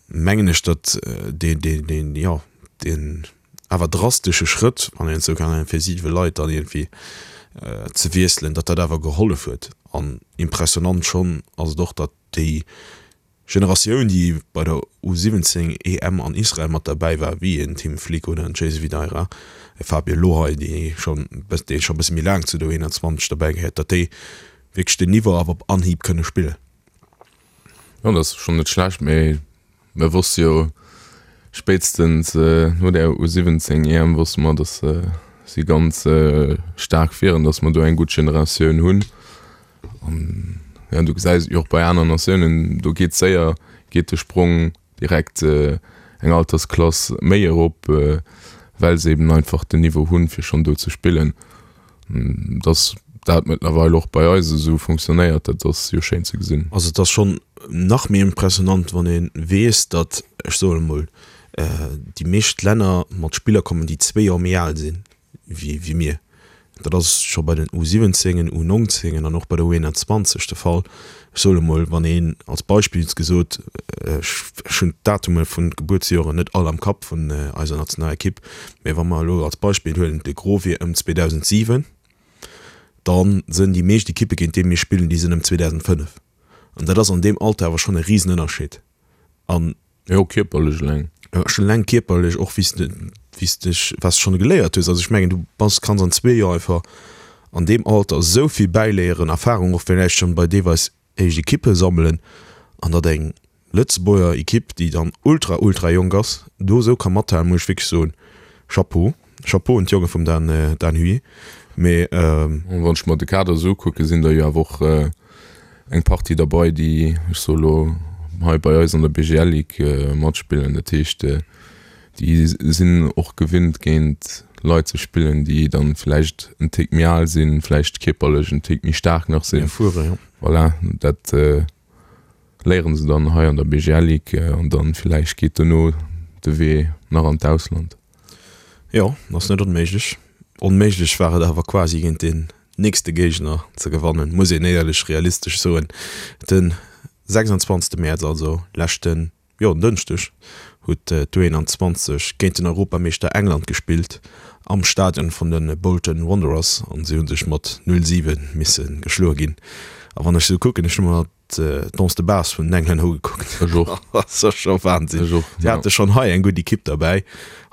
mengen ech, datt dee, dee, deen, jo, deen awer drastesche Schrëtt, wann een et esou kann nennen, fir siwe Leit dann iergendwéi ze wiesselen, datt dat awer gehollef huet. An impressionant schonn ass et och, datt déi Generatioun, déi bei der U17 EM an Israel mat derbäi war, wéi en Tim Flick oder en Jayce Videira, e Fabio Lohay, dee schonn dee scho e bësse méi laang zu der U21 derbäi gehéiert, datt déi wierklech den Niveau awer op Anhieb kënne spillen. Jo, dat ass schonn net schlecht, mee Mir wosste jo spéitstens no der U17 EM wosste mer, datt si ganz staark wieren, datt mer do eng gutt Generatioun hunn. An jo, du gesäis et jo och bei aner Natiounen, do geet séier, geet de Sprong direkt eng Altersklass méi erop, well se eben einfach den Niveau hunn, fir schonn do ze spillen. Dass dat mëttlerweil och bei eis esou funktionéiert, dat ass jo schéin ze gesinn. Also et ass schonn nach méi impressionant, wann ee weess, datt, ech soen emol, déi meescht Länner mat Spiller kommen, déi zwee Joer méi al sinn wéi mir. Dat ass scho bei den U17en, U19en an och bei der U21 de Fall. Ech soen emol, wann een als Beispill gesot, ech hunn d'Datume vun d'Gebuertsjoren net all am Kapp vun eiser Nationalekipp, mä wa mer elo als Beispill huelen, de Gros wier ëm 2007, da sënn déi meescht Ekippe géint déi mir spillen, déi sënn ëm 2005. An dat ass an deem Alter awer schonn e Risenënnerscheed. An. Jo, kierperlech eleng. Jo, schon eleng kierperlech, och wéi s de, wéi s dech, wat s de schonn geléiert hues. Also ech mengen, du bass, kanns an zwee Joer einfach an deem Alter esou vill bäiléieren, Erfahrung och villäicht schonn bei deelweis éischt Ekippe sammelen an datt eng Lëtzebuerger Ekipp, déi dann ultra, ultra jonk ass, do esou ka mathalen, muss ech wierklech soen, Chapeau. Chapeau un d'Jonge vum Dan, Dan Huy. Mee. Wann ech mer de Kader esou ukucken, sinn der jo awer och eng Partie derbei, déi, ech soe lo, hei bei eis an der BGL Ligue matspillen. Dat heescht, déi sinn och gewinnt, géint Leit ze spillen, déi dann vläicht en Tick méi al sinn, vläicht kierperlech en Tick méi staark nach sinn. Erfuere, jo. Voilà, dat léieren se dann hei an der BGL Ligue an dann villäicht geet dono de Wee nach an d'Ausland. Jo, ass net onméiglech. Onméiglech war et awer quasi géint deen nächste Géigner ze gewannen, muss een éierlech realistesch soen. Den 26 Mäerz, also leschten jo, en Dënschdeg huet d'U21 géint den Europameeschter England gespillt am Stadion vun de Bolton Wanderers an si hu sech mat 0, 7 misse geschloe ginn. A wann ech esou kucken, ech hu mer d'Danse de Base vun den Englänner ugekuckt, Ech och. dat ass scho Wahnsinn. Ech och, Si ja. hate schonn hei eng gutt Ekipp derbäi.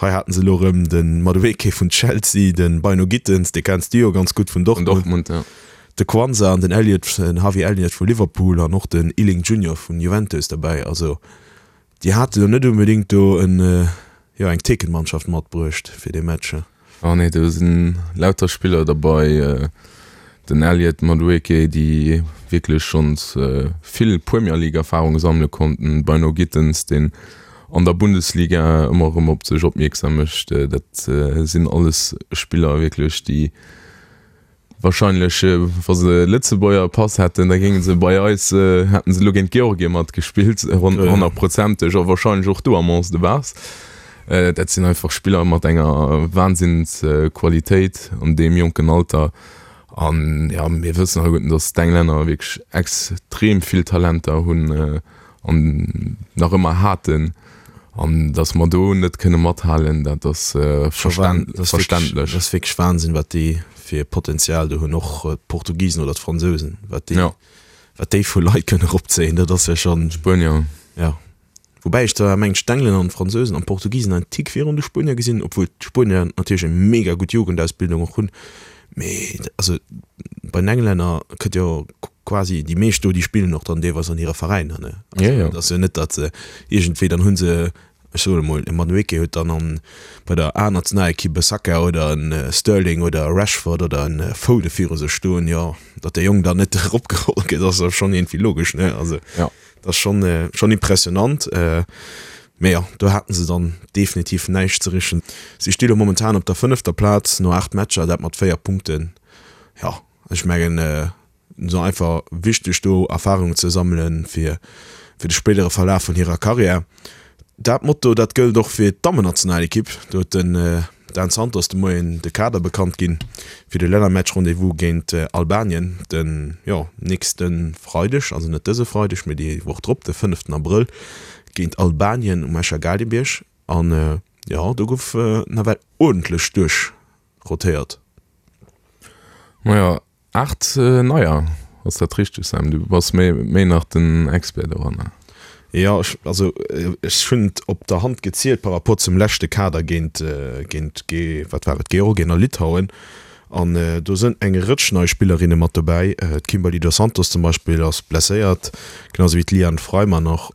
Hei haten se elo erëm de Madueke vun Chelsea, de Bynoe Gittens, dee kenns du jo ganz gutt vun Vun Dortmund, Dortmund, ja. de Quansah an den Elliott, den Harvey Elliott vu Liverpool an och den Iling Junior vun Juventus derbäi. Also déi hate lo net unbedéngt do en, jo, eng Thekenmannschaft matbruecht fir dee Match. Ah nee, do sinn lauter Spiller derbei, den Elliott Madueke, déi wierklech schonns vill Premier League Erfarung sammele konnten, Bynoe Gittens, deen an der Bundesliga ëmmer erëm op sech opmierksam mécht. Dat sinn alles Spiller wierklech, déi Wahrscheinlech, wa se Lëtzebuerger Pass hätten, da géinge se bei eis, hätten se elo géint Georgien matgespillt, honnertprozenteg, a wahrscheinlech och do am Onze de Base. Dat sinn einfach Spiller mat enger Wahnsinnsqualitéit an deem jonken Alter. An jo, mir wëssen alleguerten, datt d'Englänner wierklech extrem vill Talenter hunn. an nach ëmmer haten, an datt mer do net kënne mathalen, dat ass verständlech. Dat ass wierklech Wahnsinn, wat déi fir Potenzial do hunn, och d'Portugisen oder d'Fransousen, wat déi, wat déi vu Leit kënne eropzéien, dat ass jo schonn. D'Spuenier. Jo. Woubäi ech zwar mengen, d'Englänner an d'Fransousen an d'Portugisen en Tick virun de Spuenier gesinn, obwuel d'Spuenier natierlech eng mega gutt Jugendausbildung och hunn, mee also bei den Englänner kënnt jo quasi déi meescht do, déi spillen och dann deelweis an hire Veräiner, ne? Also, Ja, ja. et ass jo net, datt se iergendwéi, dann hu se, ech soen emol, e Madueke huet dann an, bei der A-Nationalekipp e Saka oder e Sterling oder e Rashford oder e Foden viru sech stoen, jo, datt dee Jong dann net eropgeholl gëtt, ass jo schonn iergendwéi logesch, ne? Also, Ja. dat ass schonn, schonn impressionant. Mee jo, do haten se dann definitiv näischt ze richen. Si sti lo momentan op der fënnefter Plaz no 8 Matcher, dat mat 4 Punkten. Jo, ech mengen, Et ass einfach wichteg do Erfarungen ze sammelen fir fir de spéidere Verlaf vun hirer Karriär. Dat Motto dat gëllt och fir d'Dammennationalekipp. Do huet den Dan Santos de Moien de Kader bekannt ginn fir de Lännermatch Rendez-vous géint Albanien den jo nächste Freideg, also net dëse Freideg, mee déi Woch drop, de fënneften Abrëll géint Albanien um Escher Gaalgebierg. An jo do gouf nawell uerdentlech duerchrotéiert. Majo, 8 neier, ass dat richteg Sam? Du bass méi méi nach den Expert doranner. Jo, ech, also ech hunn et op der Hand gezielt par rapport zum leschte Kader géint, géint Ge, wat war et, Georgien a Litauen. An do sënn eng Rëtsch nei Spillerinne mat dobäi. D'Kimberly Dos Santos zum Beispill ass blesséiert, genau sou wéi d'Liane Freimann och.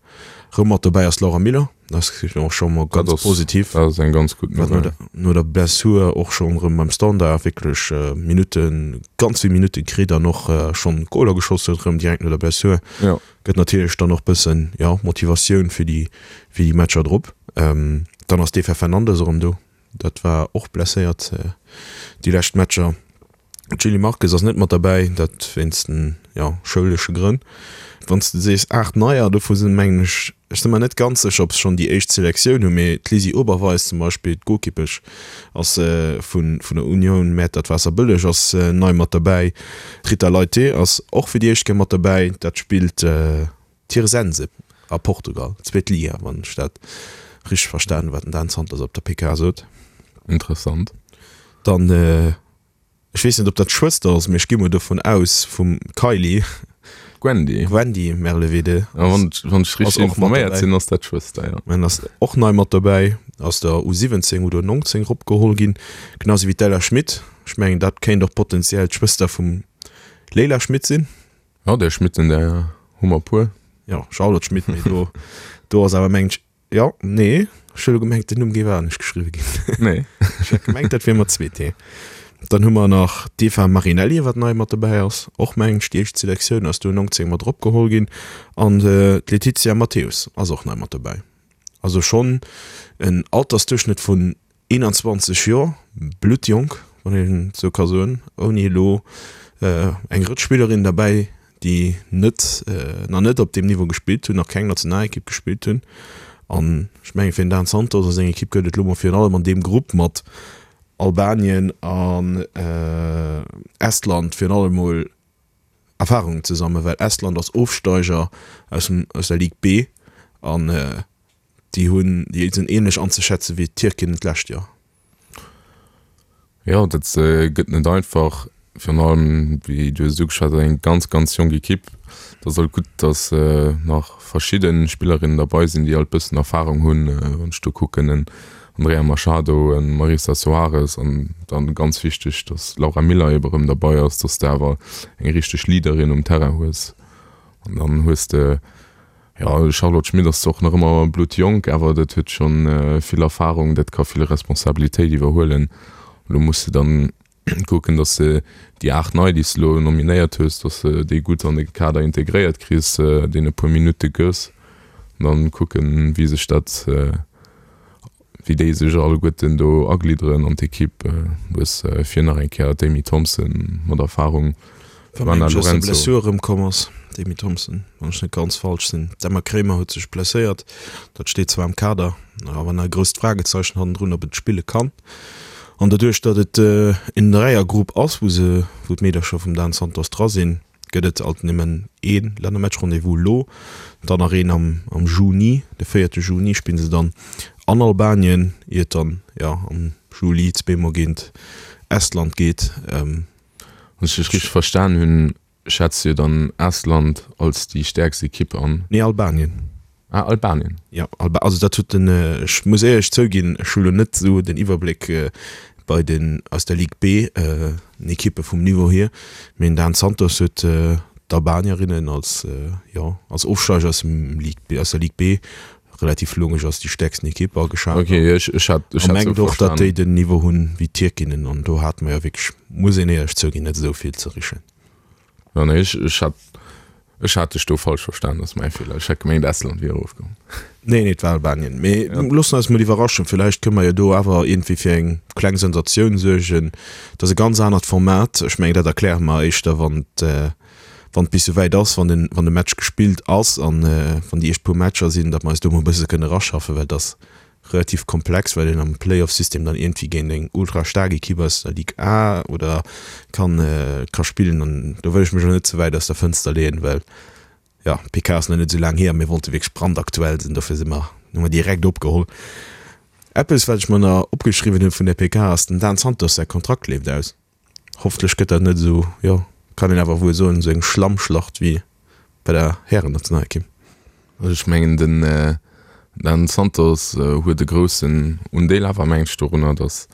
Rëm mat dobäi ass d'Laura Miller. Dat ass och scho mol ganz positiv. Dat ass eng ganz gutt Nouvelle. No der Blessur och schonn erëm beim Standard wierklech Minutten, ganz vill Minutte kritt an och schonn Goler geschoss huet erëm direkt no der Blessur. Jo. Gëtt natierlech dann och bëssen, jo, Motivatioun fir déi, fir déi Matcher drop. Dann ass d'Eva Fernandes erëm do. Dat war och blesséiert déi lescht Matcher. D'Julie Marques ass net mat derbäi, dat wéinst den, jo, schoulesche Grënn. Wann s de sees 8 Neier, dovu sinn, mengen ech, ech si mer net ganz sécher, ob se schonn déi éischt Selektioun hunn, mee d'Lisi Oberweis zum Beispill, d'Golkippesch, ass vun der Union Mäertert-Waasserbëlleg ass nei mat derbäi. D'Rita Leite ass och fir déi éischt Kéier mat derbäi, dat spillt Tirsense a Portugal, zweet Liga, wann ech dat richteg verstan hunn, wat den Dan Santos op der PK sot. Interessant. Dann, ech weess net, ob dat d'Schwëster ass, mee ech gi mol dovun aus, vum Kylie. Gwendy. Gwendy Merlevede. Ja, wann, wann ech richtig informéiert sinn, ass dat d'Schwëster, ja. En ass och nei mat dobäi, ass der U17 oder U19 eropgeholl ginn, genau sou wéi d'Ella Schmit. Ech mengen, dat kéint och potenziell d'Schwëster vum Leila Schmit sinn. Ja, där Schmitten, där hu mer e puer. Ja, Charlotte Schmit, mee do, do ass awer, mengen ech, Jo, nee, ech hu lo gemengt, den Numm géif anescht geschriwwe ginn. Nee. Ech hat gemengt, dat wier mat 2 T. Dann hu mer nach d'Eva Marinelli, wat nei mat dobäi ass, och mengen ech déi éischt Selektioun ass do 19 mat eropgeholl ginn. An d'Letizia Matthäus ass och nei mat dobäi. Also schonn en Altersduerchschnëtt vun 21 Joer, bluttjonk, wann een et esou ka soen, ouni elo eng Rëtsch Spillerinnen derbäi, déi net, nach net op deem Niveau gespillt hunn, nach keng Nationalekipp gespillt hunn. An ech mengen, fir den Dan Santos a seng Ekipp gëtt et elo mol virun allem an deem Grupp mat Albanien an Estland virun allem mol Erfarungen ze sammeln, well Estland ass Ofsteiger aus dem, aus der Ligue B an Déi hunn, déi sinn ähnlech anzeschätzen wéi d'Tierkinnen d'lescht Joer. Jo, dat gëtt net einfach, virun allem wéi du hues et ugeschwat, eng ganz ganz jonk Ekipp. Et ass alt gutt, datt nach verschidde Spillerinnen derbei sinn, déi alt bëssen Erfarung hunn. Wann ech do kucken, en Andrea Machado, en Marisa Soares an dann ganz wichteg, datt d'Laura Miller ebe rëm derbei ass, datt s de awer eng richteg Leaderin um Terrain hues. An dann hues de Jo, Charlotte Schmit ass zwar och nach ëmmer bluttjonk, awer dat huet schonn vill Erfarung, dat ka vill Responsabilitéit iwwerhuelen. Elo muss se dann kucken, datt se déi 8 nei, déi s de elo nominéiert hues, datt se déi gutt an de Kader integréiert kriss, deene puer Minutte gëss an dann kucken, wéi sech dat wéi déi sech alleguerten do aglidderen an d'Ekipp. Du hues vir nach eng Kéier d'Amy Thompson mat Erfarung, d'Joanna Lorenzo. Wa mengt, dass Blessure erëmkomm ass, d'Amy Thompson, wann ech net ganz falsch sinn. D'Emma Kremer huet sech blesséiert, dat steet zwar am Kader, awer nach e grousst Fragezeichen hannendrun, ob et spille kann. An doduerch, datt et en Dräiergrupp ass, wou se, wou d'Meedercher vum Dan Santos dra sinn, gëtt et alt nëmmen ee Lännermatch-Rendez-vous elo, dann nach een am am Juni, de véierte Juni spille se dann an Albanien, ier et dann jo am Juli zweemol géint Estland geet. Wann ech dech richteg verstan hunn, schätz du dann Estland als déi stäerkst Ekipp an? Nee, Albanien. Ah, Albanien. Jo, Alba also dat huet den, ech muss éierlech zouginn, ech hu lo net esou den Iwwerbléck bei den aus der Ligue B den Ekippe vum Niveau hier, mee den Dan Santos huet d'Albanierinnen als, jo, als Ofsteiger aus dem Ligue B, aus der Ligue B relativ logesch als déi stäerksten Ekipp ageschat. Ok, ech, ech hat, ech hat esou mengt och, datt déi den Niveau hunn wéi d'Tierkinnen an do hate mer jo wierklech, muss een éierlech zouginn, net esou vill ze richen. Jo, nee, ech, ech hat, ech hat dech do falsch verstan, dat ass mäi Feeler. Ech hat gemengt, Estland wier erofkomm. Nee, nee, et war Albanien. Mee ja. loossen eis mol iwwerraschen, villäicht kënne mer jo do awer iergendwéi fir eng kleng Sensatioun suergen. Dat ass e ganz anert Format. Ech mengen, dat erkläre mer éischter, wann et, wann et bis souwäit ass, wann den, wann de Match gespillt ass an wann déi éischt puer Matcher sinn, datt mer eis do mol e bësse kënne eraschaffen, well et ass relativ komplex, well een am Playoff-System dann iergendwéi géint eng ultra staark Ekipp aus der Ligue A oder kann ka spillen an do wëll ech mech elo net ze wäit aus der Fënster leeën, well jo d'PK ass nach net esou laang hier a mir wollte wierklech brandaktuell sinn, dofir si mer hu mer direkt opgeholl. Eppes wat ech mer nach opgeschriwwen hunn vun der PK ass, dem Dan Santos säi Kontrakt leeft aus. Hoffentlech gëtt dat net esou, jo, kann een awer wuel soen, esou eng Schlammschlacht wéi bei der Härennationalekipp. Also ech mengen den Dan Santos huet e groussen Undeel awer mengen ech dorunner, datt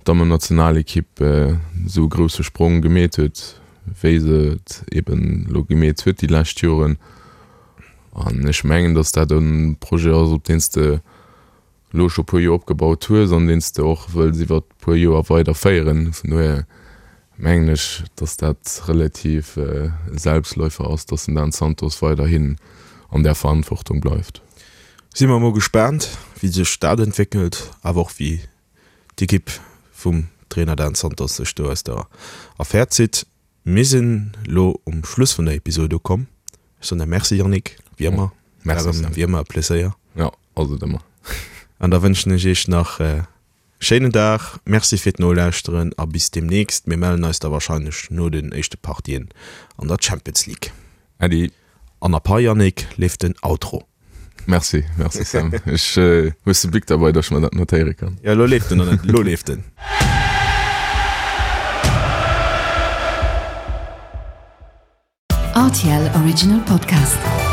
d'Dammennationalekipp esou e grousse Sprong gemeet huet, wéi se et eben elo gemeet huet déi lescht Joren. An ech mengen, datt dat e Projet ass, op deen s de elo scho puer Joer opgebaut hues an deen s de och wëlls iwwer puer Joer weider féieren. Vun dohier mengen ech, dass dat relativ e Selbstläufer ass, dass den Dan Santos weiderhin an där Verantwortung bleift. Si mer mol gespaant, wéi sech dat entwéckelt, awer och wéi d'Ekipp vum Trainer Dan Santos sech do aus der Affär zitt. Mir sinn lo um Schluss vun der Episode ukomm. Ech soen der Merci Yannick, wéi ëmmer. Merci Sam. Wéi ëmmer e Pleséier. Jo, ass et ëmmer. An da wënschen ech iech nach e schéinen Dag. Merci fir d'Nolauschteren a bis deemnächst. Mir mellen eis da wahrscheinlech no den éischte Partien an der Champions League. Äddi. An ab hei Yannick leeft den Outro. Merci, merci Sam. Ech hues de Bic derbei, dass ech mer dat notéiere kann? Jo, lo leeft en, lo leeft en. RTL Original Podcast.